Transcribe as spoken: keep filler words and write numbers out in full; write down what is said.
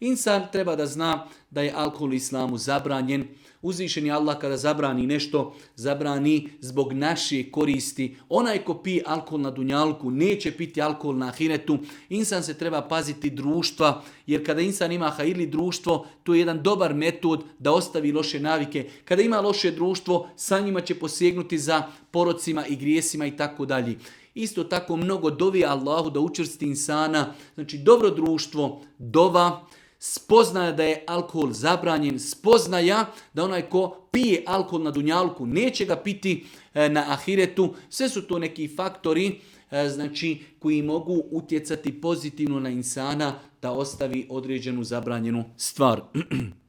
Insan treba da zna da je alkohol u islamu zabranjen. Uzvišeni Allah kada zabrani nešto, zabrani zbog naše koristi. Onaj ko pije alkohol na dunjalku, neće piti alkohol na ahiretu. Insan se treba paziti društva, jer kada insan ima hajirli društvo, to je jedan dobar metod da ostavi loše navike. Kada ima loše društvo, sa njima će posegnuti za porocima i grijesima i tako dalje. Isto tako mnogo dovi Allahu da učvrsti insana. Znači dobro društvo, dova, spoznaja da je alkohol zabranjen, spoznaja da onaj ko pije alkohol na dunjalku neće ga piti na ahiretu. Sve su to neki faktori znači, koji mogu utjecati pozitivno na insana da ostavi određenu zabranjenu stvar.